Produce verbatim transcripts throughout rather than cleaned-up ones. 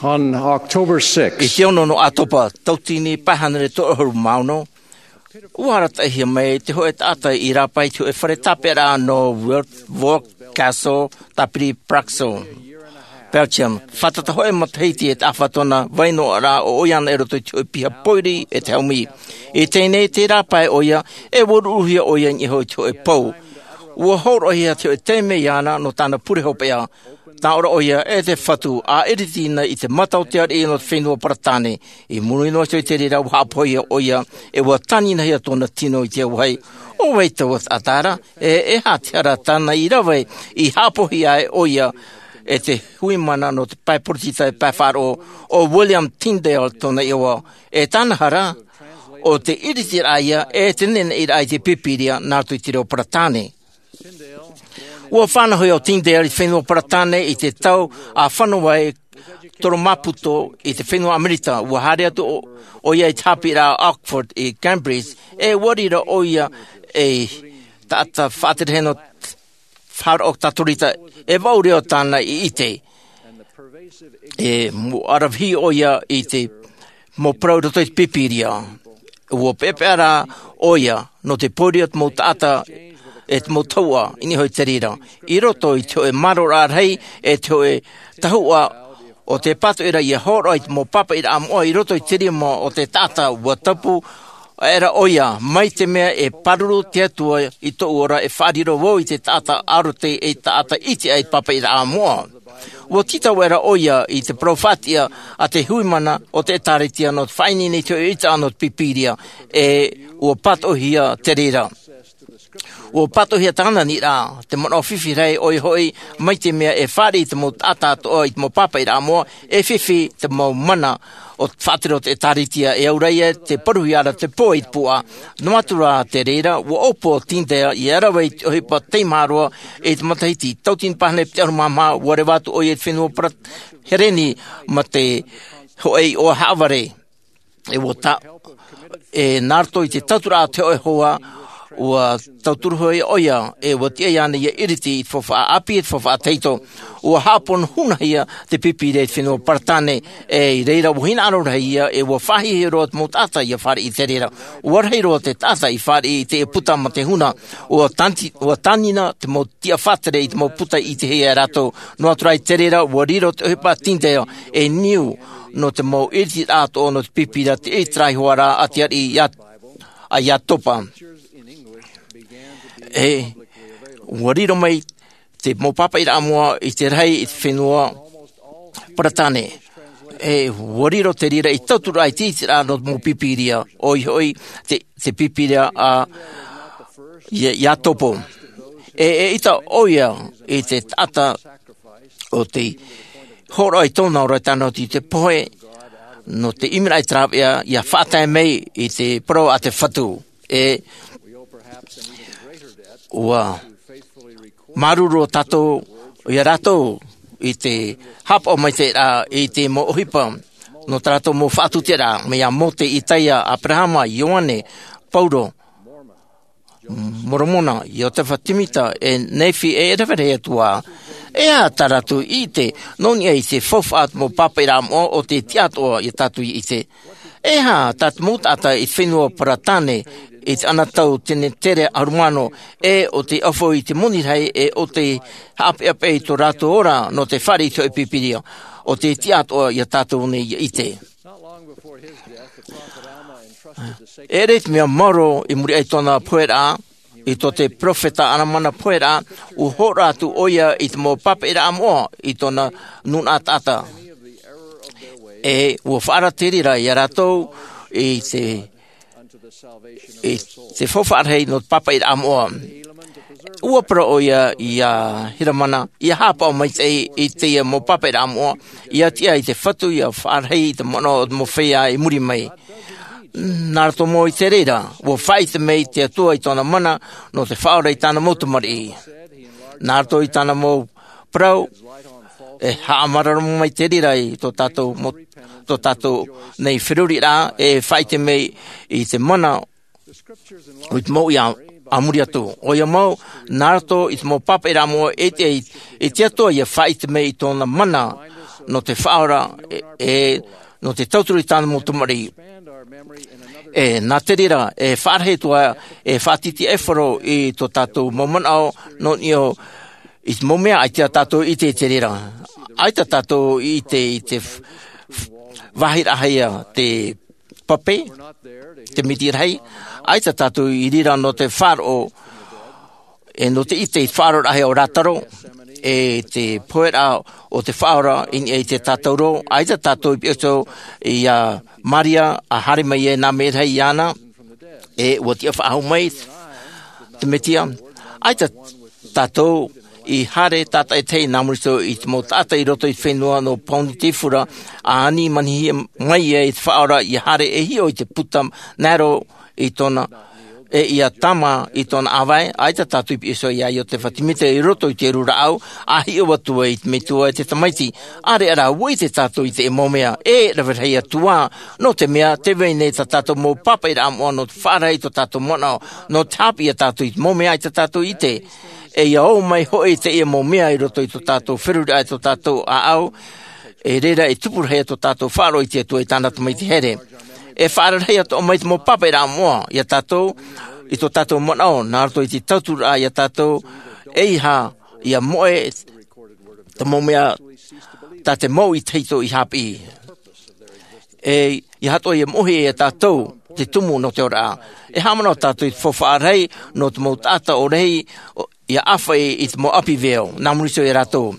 On October sixth, i te ono nō ʻĀtopa, tauatini pae hānere toru ʻahuru mā ono, ua arataʻihia mai te hōʻē taʻata i rāpae i te hōʻē fare tāpeʻaraʻa nō Wildburg Castle, Tāpiri Praxo, Belgium. Fātata hōʻē matahiti e taʻa fā tōna vai noaʻa, ʻo ʻoia anaʻe i roto i te hōʻē piha pōiri e te haumi. I teie nei, tē rāpae ʻoia, e ua ruruhia ʻoia i niʻa iho i te hōʻē pou. Ua hōroʻahia te hōʻē taime iāna nō tāna pure hopeʻa. Tāʻoro ʻoia e te Fatu, ʻa ʻiriti na i te mata o te ariʻi nō te fenua Paratāne. I muri noa atu i te reira, ua haʻapohia ʻoia, e ua tāninahia tōna tino i te auahi. ʻO vai taua taʻata ra, e, e aha te hara tāna i rave i haʻapohia ai ʻoia e te hui mana nō te pae poritita e pae faʻaroʻo, ʻo William Tyndale tōna iʻoa. E tāna hara, ʻo te ʻiritiraʻa ïa e te neneʻiraʻa i te Pīpīria nā roto i te reo Paratāne. Ua fānauhia ʻo Tyndale i te fenua Paratāne i te tau ʻa fano ai Toro Maputo i te fenua Amerika. Ua haere atu ʻo, ʻoia i te haʻapiʻiraʻa Oxford i Cambridge, e ua riro ʻoia ei taʻata faʻaterehene faʻaroʻo Katorika, e vaʻu reo tāna i ʻite. E mau ʻaravihi ʻoia i te mau parau i roto i te Pīpīria. Ua peʻapeʻa rā ʻoia nō te pōiri o te mau taʻata e te mau tahuʻa i niʻa iho i te reira. I roto i te hōʻē māroraʻa rahi e te hōʻē tahuʻa o te pātoʻi ra ʻia hōroʻa i te mau pāpaʻiraʻa moʻa i roto i te rima o te taʻata, ua tapu aʻera ʻoia, mai te mea e pāruru te Atua i tōʻu ora, e faʻariro vau i te taʻata ʻarote, e taʻata ʻite aʻe i te pāpaʻiraʻa moʻa. Ua tītau aʻera ʻoia i te parau faʻatiʻa a te hui mana o te ʻĒtārētia nō te faʻaineine i te hōʻē ʻiteraʻa nō te Pīpīria, e ua pātoʻihia te reira. Ua pātoʻihia tāna aniraʻa, te manaʻo fifi rahi ʻoia hoʻi, mai te mea e fāriʻi te mau taʻata atoʻa i te mau pāpaʻiraʻa moʻa, e fifi te mau mana o te faʻatere o te ʻĒtārētia, e au ra ïa te parauhia ra te pō i te puaʻa. Noa atu rā te reira, ua ʻōpua ʻo Tyndale ʻia rave i te ʻohipa teimaha roa i te matahiti, tauatini pae hānere piti ʻahuru mā maha, ua reva atu ʻoia i te fenua Para-, Hereni mā te hōʻē iʻoa haʻavare. E ua ta-, e nā roto i te tauturu a te hōʻē hoa, ua tauturu hoʻi ʻoia, e ua tiʻa iāna ʻia ʻiriti i te faufaʻa ʻāpī, e te faufaʻa tahito. Ua haʻapono hunahia te Pīpīria i te fenua Paratāne, e i reira ua hinaʻaro rahi ïa, e ua faʻahiahia roa te mau taʻata ʻia fāriʻi i te reira. Ua rahi roa te taʻata i fāriʻi i te puta mā te huna, ua tāni-, ua tānina te mau tiʻa faʻatere i te mau puta i ʻitehia e rātou. Noa atu rā i te reira, ua riro te ʻohipa a Tyndale ei niu nō te mau ʻiritiraʻa atoʻa nō te Pīpīria, te ʻiritiraʻa hoʻi ra a te ariʻi ia, a Iatopa. E ua riro mai te mau pāpaʻiraʻa moʻa i te rahi i te fenua Paratāne. E ua riro te reira ei tauturu i te ʻiritiraʻa nō te mau Pīpīria, ʻoia hoʻi te, te Pīpīria a Ia-, Iatopa. E, e ʻita ʻoia i te taʻata o te hōroʻa i tōna ora, i tāna oti i te pohe, nō te ʻimiraʻa i te rāveʻa, ʻia faʻatae mai i te parau a te Fatu. E ua māuruuru tātou ia rātou i te haʻapaʻo maitaʻi ra i te mau ʻohipa nō tā rātou mau faʻatuʻiraʻa, mai iā Mōte, Itaia, Aperahama, Ioane, Paulo, Moromona, Iotefa, Timita, e Nefi, e rave rahi atu ā. E aha tā rātou i ʻite nō niʻa i te faufaʻa a te mau pāpaʻiraʻa moʻa ʻo tē tiʻa atoʻa ia tātou ʻia ʻite? E aha tā te mau taʻata i te fenua Paratāne i te anotau tenetere ʻahuru mā ono, e ʻo tē ʻaufau i te moni rahi, e ʻo tē haʻapeʻapeʻa i tō rātou ora nō te fāriʻi i te hōʻē Pīpīria, ʻo tē tiʻa atoʻa ia tātou nei ʻia ʻite? E ʻere i te mea maoro i muri aʻe i tōna poheraʻa, i tō te peropheta Alamana poheraʻa, ua hōroʻa atu ʻoia i te mau pāpaʻiraʻa moʻa i tōna nūnaʻa taʻata. E ua faʻaara te reira ia rātou i te, i te faufaʻa rahi nō te pāpaʻiraʻa moʻa. Ua parau ʻoia iā Helamana, ʻia haʻapaʻo maitaʻi i teie mau pāpaʻiraʻa moʻa, ʻia tiʻa i te Fatu ʻia faʻarahi i te manaʻo o te mau feiā i muri mai. Nā roto mau i te reira, ua faʻaʻite mai te Atua i tōna mana nō te faʻaora i tāna mau tamariʻi. Nā roto i tāna mau parau, e haʻamārōrō mai te reira i tō tātou mo-, tō tātou nei feruriraʻa, e faʻaʻite mai i te mana i te mau ia a muri atu. ʻOia mau, nā roto i te mau pāpaʻiraʻa moʻa, e te, e te Atua ʻia faʻaʻite mai i tōna mana nō te faʻaora e, e nō te tauturu i tāna mau tamariʻi. E nā te reira e faʻarahi atu ā e faʻatītīʻaifaro i tō tātou mau manaʻo nō niʻa i te mau mea ʻaita tātou i ʻite i te reira. ʻAita tātou i ʻite i te f- f- vāhi rahi a te pape, te miti rahi. ʻAita tātou i reira nō te faʻaroʻo e nō te ʻite i te faʻaroʻo rahi o rātaro e te pohe raʻa o te faʻaora i niʻa i te tātauro. ʻAita tātou i piʻi atu i a maria a haere mai e nā mea rahi iāna e ua tiʻa faʻahou mai te mesia. ʻAita tātou i haere tātaʻitahi nā muri iho i te mau taʻata i roto i te fenua nō pauni te fura a ani manihia mai ia i te faʻaora ia haere e hiʻo i te puta naero i tōna e ia tama i tōna ʻāvae. ʻAita tātou i piʻi iho i a iosepha semita i roto i te rūraʻau a hiʻo atu ai i te metua e te tamaiti. ʻAreʻa rā ua ʻite tātou i te mau mea e rave rahi atu ā nō te mea te vai nei tā tātou mau pāpaʻi raʻa moʻa nō te faʻaara i tō tātou manaʻo nō te hāpiʻi ia tātou i te mau mea ʻaita tātou i ʻite. E ia ō mai hoʻi teie mau mea i roto i tō tātou feruriraʻa i tō tātou ʻāʻau e reira e tupu rahi tō tātou faʻaroʻo i te atua i tāna tamaiti here. E faʻaara rahi atoʻa mai te mau pāpaʻi raʻa moʻa ia tātou i tō tātou manaʻo nā roto i te tauturu raʻa ia tātou e ia moʻe te mau mea tā te mau i tahito i hāpiʻi. E ia hatoʻa ia moʻohia ia tātou te tumu nō te ora. E haʻamanaʻo tātou i te faufaʻa rahi nō te mau taʻata ʻo rahi ia ʻāfaʻi i te mau ʻapi veo nā muri iho ia rātou.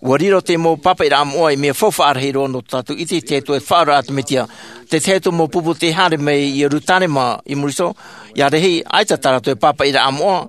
Ua riro te mau pāpaʻi raʻa moʻa i mea faufaʻa rahi roa nō tātou i te ʻite atu e faʻaora a te mesia. Te tahi atu mau pupu te haere mai i ierusalema i muri iho ia rahi ʻaita tā rātou e pāpaʻi raʻa moʻa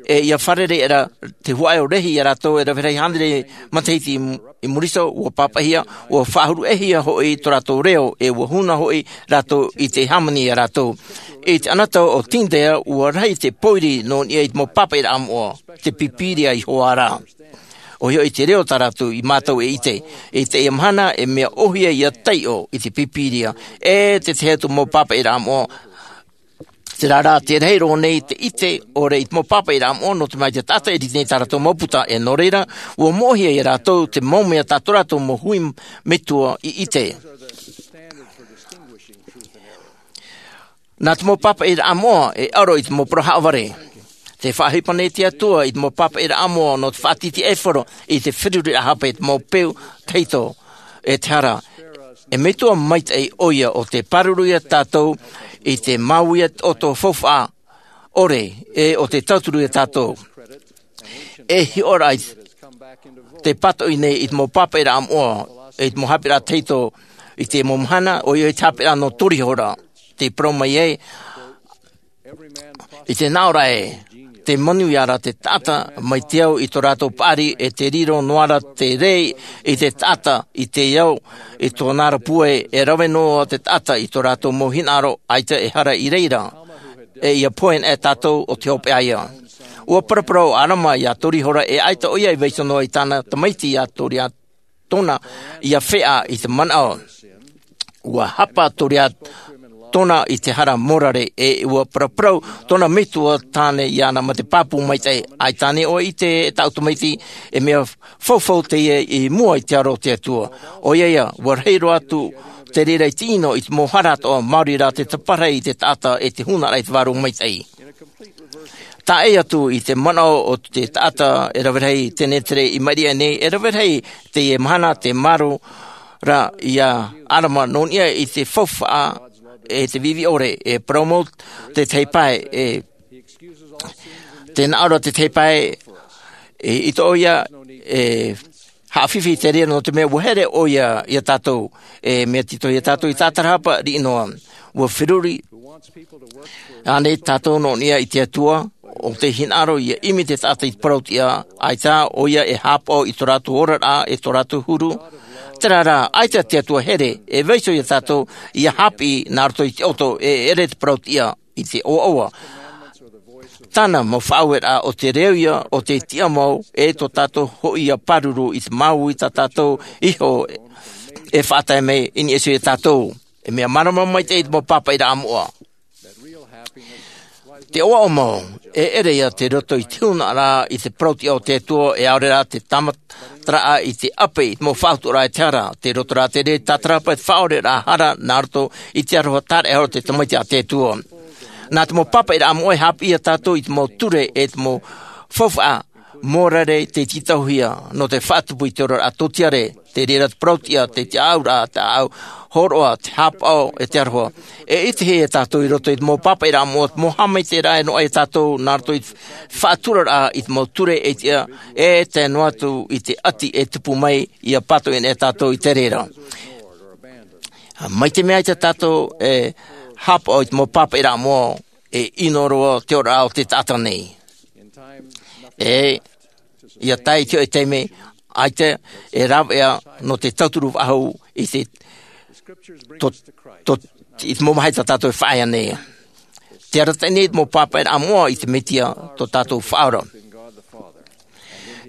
e ia fārerei era te huaʻai o rahi ia rātou e rave rahi hānere matahiti i muri iho ua pāpaʻihia ua faʻahuruʻehia hoʻi tō rātou reo e ua huna hoʻi rātou i te hāmani ia rātou. I te ʻanatau o tindea ua rahi te pōiri nō niʻa i te mau pāpaʻi raʻa moʻa te pīpīria i hoʻi rā. ʻOia hoʻi te reo tā rātou i mātau e ʻite i teie mahana e mea ʻohie ia taiʻo i te pīpīria e te tahi atu mau pāpaʻi raʻa moʻa. Te rārā te rahi roa nei te ʻite ʻore i te mau pāpaʻi raʻa moʻa nō te mea te taʻata e rite nei tā rātou mau puta e nō reira ua moʻohia ia rātou te mau mea tā tō rātou mau hui metua i ʻite. Nā te mau pāpaʻi raʻa moʻa e aro i te mau parau haʻavare. Te faʻaʻohipa nei te atua i te mau pāpaʻi raʻa moʻa nō te faʻatītīʻaifaro i te feruriraʻa hape i te mau peu tahito e te hara. E metua maitaʻi ʻoia ʻo te pāruru ia tātou i te māuiui ʻoto faufaʻa ʻore e ʻo te tauturu ia tātou. E hiʻo ra i te pātoʻi nei i te mau pāpaʻi raʻa moʻa i te mau hāpiʻiraʻa tahito i te mau mahana ʻoia i te hāpiʻiraʻa nō tori hora te parau mai ai i te naʻo ra e te manuia ra te taʻata mai te au i tō rātou paʻari e te riro noa ra te rei i te taʻata i te au i tōna ra pūai e rave noa te taʻata i tō rātou mau hinaʻaro ʻaita e hara i reira. E ia pohe e tātou o te hopeʻa ia. Ua paraparau a rama ia tori hora e ʻaita ʻoia i vaiiho noa i tāna tamaiti ia tori a tōna ia feʻa i te manaʻo. Ua hapa tori a tōna i te hara morare e ua paraparau tōna metua tāne iāna ma te pāpū maitaʻi ʻaita nei ʻoe i te e taʻu tamaiti e mea faufau teie i mua i te aro o te atua. ʻOia ia ua rahi roa atu te reira i te ʻino i te mau hara atoʻa maori rā te taparahi i te taʻata e te huna ra i te vārua maitaʻi. Taʻe atu i te manaʻo o te taʻata e rave rahi tenetere i maʻiri aʻe nei e rave rahi teie mahana te maro ra ia arama nō niʻa i te faufaʻa e te vivi ʻore e parau mau te tahi pae e te naʻo ra te tahi pae e i tō ʻoia e haʻafifi te reira nō te mea ua here ʻoia ia tātou e mea tito ia tātou i tātarahapa riʻi noa. Ua feruri ānei tātou nō niʻa i te atua o te hinaʻaro ia ʻimi te taʻata i te parau tiʻa ʻaita ʻoia e hāpaʻo i tō rātou oraraʻa e tō rātou huru. Terā rā ʻaita te atua here e vaiiho ia tātou ia hāpiʻi nā roto i te ʻoto e ʻere te parau tiʻa i te ʻoaʻoa. Tāna mau faʻaueraʻa o te reo ia o te tiʻa mau e tō tātou hoʻi ia pāruru i te māuiui tā tātou iho e faʻatae mai i niʻa iho ia tātou. E mea mārama maitaʻi i te mau pāpaʻi raʻa moʻa. Te ʻoaʻoa mau, e ʻere ia te roto i te huna rā i te parauʻtiʻa o te Atua, e ʻaore rā te tāmataraʻa i te ʻape i te mau faʻautuʻaraʻa e te hara, te roto rā te reira tātarahapa e te faʻaoreraʻa hara nā roto i te aroha tāraʻehara o te Tamaiti a te Atua. Nā te mau pāpaʻiraʻa moʻa e haʻapiʻi ia tātou i te mau ture e te mau faufaʻa mōrare tei tītauhia nō te faʻatupu i te oraraʻa tōtiare, te reira te parauʻtiʻa, te tiʻaʻauraʻa, te ʻāʻau hōroʻa, te hāpaʻo, e te aroha. E ʻitehia e tātou i roto i te mau pāpaʻiraʻa moʻa, te mau haʻamaitaʻiraʻa e noaʻa ia tātou nā roto i te faʻaturaraʻa i te mau ture e tiʻa, e tae noa atu i te ʻati e tupu mai, ʻia pātoʻi nei tātou i te reira. Mai te mea ʻaita tātou e hāpaʻo i te mau pāpaʻiraʻa moʻa, e ʻino roa te oraraʻa o te taʻata nei. E, ʻia tae i te hoʻi taime, ʻaita e rāveʻa nō te tauturu faʻahou i te, tō, tō, i te mau mahana tā tātou e faʻaea nei. Tē arataʻi nei te mau pāpaʻiraʻa moʻa i te Mesia tō tātou Faʻaora.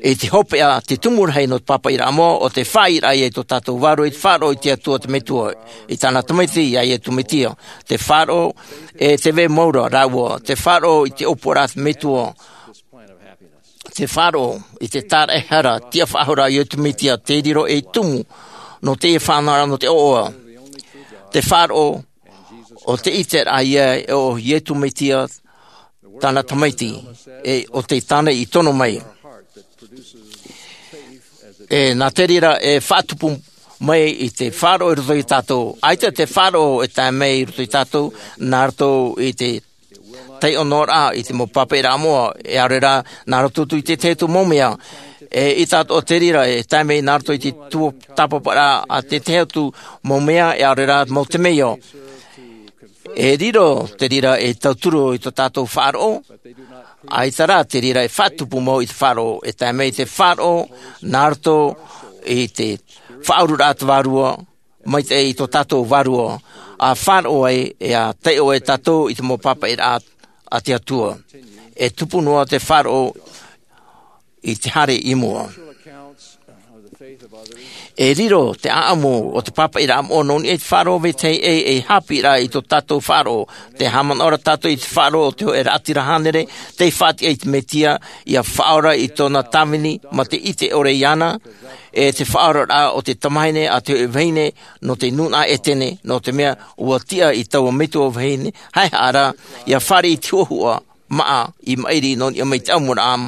I te hopeʻa, te tumu rahi nō te pāpaʻiraʻa moʻa, ʻo te faʻaʻiteraʻa ia i tō tātou vārua i te faʻaroʻo i te Atua te Metua, i tāna Tamaiti, ia Iesu Mesia. Te faʻaroʻo, e te vai mau ra rāua, te faʻaroʻo i te ʻōpuaraʻa te Metua, te faʻaroʻo i te tāraʻehara, tiʻafaʻahoraʻa a Iesu Mesia, tei riro ei tumu nō teie fānauraʻa nō te ʻoaʻoa. Te faʻaroʻo, ʻo te ʻiteraʻa ia ʻo Iesu Mesia, tāna Tamaiti, e ʻo te tāne i tono mai. E nā te reira e faʻatupu mai i te faʻaroʻo i roto ia tātou. ʻAita te faʻaroʻo e tae mai i roto ia tātou, nā roto i te taiʻo noa ra i te mau pāpaʻiraʻa moʻa, e ʻaore rā, nā roto atu i te tahi atu mau mea. E ʻite atoʻa te reira, e tae mai nā roto i te tuatāpaparaʻa a te tahi atu mau mea, e ʻaore rā, mau temeio. E riro te reira ei tauturu i tō tātou faʻaroʻo, ʻaita rā te reira e faʻatupu mau i te faʻaroʻo, e tae mai te faʻaroʻo, nā roto i te faʻaururaʻa a te Vārua Maitaʻi i tō tātou vārua, ʻa faʻaroʻo ai, e ʻa taiʻo ai tātou i te mau pāpaʻiraʻa a te Atua. E tupu noa te faʻaroʻo i te haere i mua. E riro te ʻāʻamu o te pāpaʻiraʻa moʻa nō niʻa i te faʻaroʻo vetahi ʻē, ei haʻapiʻiraʻa i tō tātou faʻaroʻo. Tē haʻamanaʻo ra tātou i te faʻaroʻo o te hōʻē raʻatira hānere, tei faʻatiʻa i te Mesia, ʻia faʻaora i tōna tāvini, mā te ʻite ʻore iāna, e te faʻaoraraʻa o te tamahine a te hōʻē vahine nō te nūnaʻa ʻētene, nō te mea ʻua tiʻa i taua metua vahine haʻehaʻa ra, ʻia fāriʻi i te huʻahuʻa, māʻa i maʻiri nō niʻa mai i te ʻamuraʻa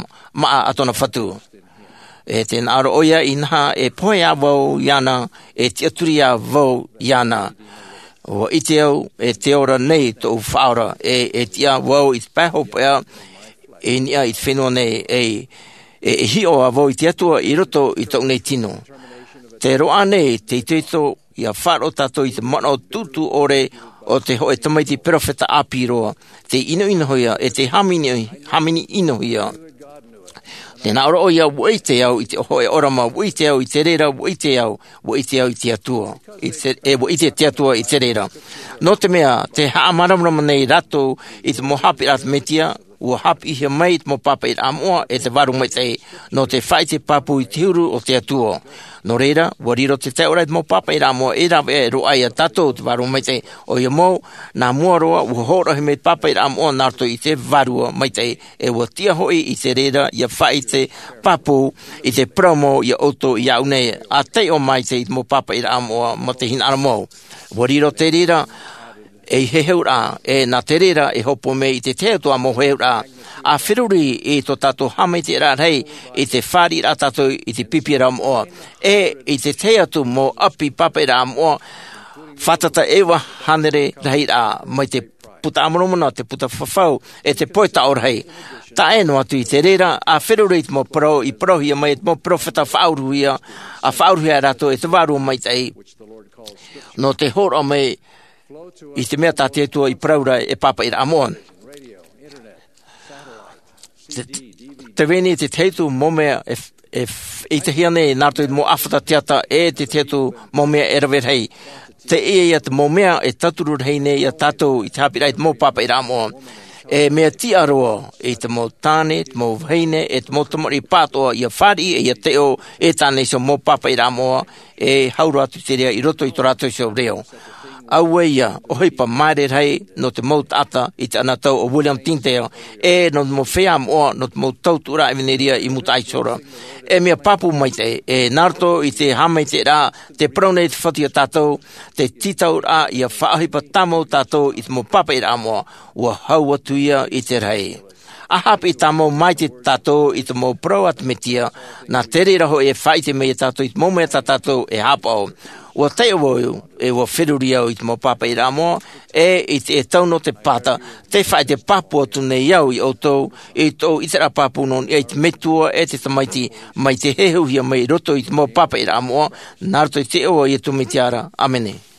māʻa a tōna fatu. E tē nā ʻō ra ʻoia, inaha, e pohe ā vau iāna, e tiʻaturi ā vau iāna. ʻUa ʻite au, e te ora nei tōʻu Faʻaora, e, e tiʻa vau i te pae hopeʻa, i niʻa i te fenua nei, e, e, e hiʻo ā vau i te Atua i roto i tōʻu nei tino. Tē roaʻa nei te itoito, ʻia faʻaroʻo tātou i te manaʻo tūtū ʻore o te hōʻē tamaiti perofeta ʻāpī roa, tei ʻinoʻinohia, e tei hāmani, hāmani ʻinohia. Tē nā ʻō ra ʻoia, ʻua ʻite au i te hōʻē ʻōrama, ʻua ʻite au i te reira, ʻua ʻite au, ʻua ʻite au i te Atua. I te, e ʻua ʻite te Atua i te reira. Nō te mea, tē haʻamāramarama nei rātou i te mau haʻapiʻiraʻa a te Mesia, ʻua haʻapiʻihia mai i te mau pāpaʻiraʻa moʻa e te Vārua Maitaʻi, nō te faʻaʻite pāpū i te huru o te Atua. Nō reira, ʻua riro te taiʻoraʻa i te mau pāpaʻiraʻa moʻa e rāveʻa e roaʻa ia tātou te Vārua Maitaʻi. ʻOia mau, nā mua roa, ʻua hōroʻahia mai te pāpaʻiraʻa moʻa nā roto i te Vārua Maitaʻi, e ʻua tiʻa hoʻi i te reira ʻia faʻaʻite pāpū i te parau mau ia ʻoutou iāʻu nei, ʻa taiʻo maitaʻi i te mau pāpaʻiraʻa moʻa mā te hinaʻaro mau. ʻUa riro te reira, ei heheuraʻa, e nā te reira e hōpoi mai i te tahi atu ā mau heheuraʻa, ʻa feruri i tō tātou haʻamaitaʻiraʻa rahi i te fāriʻiraʻa tātou i te pipi ra moʻa, e i te tahi atu mau ʻapi pāpaʻiraʻa moʻa, fātata e iva hānere rahiraʻa, mai te Buka a Moromona, te Buka Fafau, e te Pohe Taʻo Rahi. Tae noa atu i te reira, ʻa feruri i te mau parau i parauhia mai e te mau perofeta faʻauruhia, ʻa faʻauruhia rātou e te Vārua Maitaʻi. Nō te hōroʻa mai i te mea tā te Atua i parau ra e pāpaʻiraʻa moʻa. Te, te veni te tahi atu mau mea e, e, e ʻitehia nei nā roto i te mau ʻāfata teata e te tahi atu mau mea e rave rahi. Teie ia te mau mea e tauturu rahi nei ia tātou i te haʻapiʻiraʻa i te mau pāpaʻiraʻa moʻa. E mea tiʻa roa i te mau tāne, te mau vahine, e te mau tamariʻi pāʻatoʻa ʻia fāriʻi, e ʻia taiʻo e tāna iho mau pāpaʻiraʻa moʻa, e hau roa atu te reira i roto i tō rātou iho reo. Auē ia ʻohipa māere rahi nō te mau taʻata i te anotau o William Tyndale, e nō te mau feiā moʻa nō te mau tautuʻaraʻa ʻevanelia i Mutaʻa Iʻosaʻa. E mea pāpū maitaʻi, e nā roto i te haʻamaitaʻiraʻa, te parau nei te Fatu ia tātou, te tītauraʻa ia faʻaʻohipa tāmau tātou i te mau pāpaʻiraʻa moʻa, ua hau atu ia i te rahi. ʻA haʻapiʻi tāmau maitaʻi tātou i te mau parau a te Mesia, nā te reira hoʻi e faʻaʻite mai ia tātou i te mau mea tā tātou e haʻapaʻo. Ua taiʻo vau, e ua feruri au i te mau pāpaʻiraʻa moʻa, e i te, e tau nō te pāta, te faʻaʻite pāpū atu nei au ia ʻoutou, i tōʻu ʻiteraʻa pāpū nō niʻa i te Metua e te Tamaiti, mai te heheuhia mai i roto i te mau pāpaʻiraʻa moʻa, nā roto i te iʻoa o Iesu Mesia ra. ʻĀmene.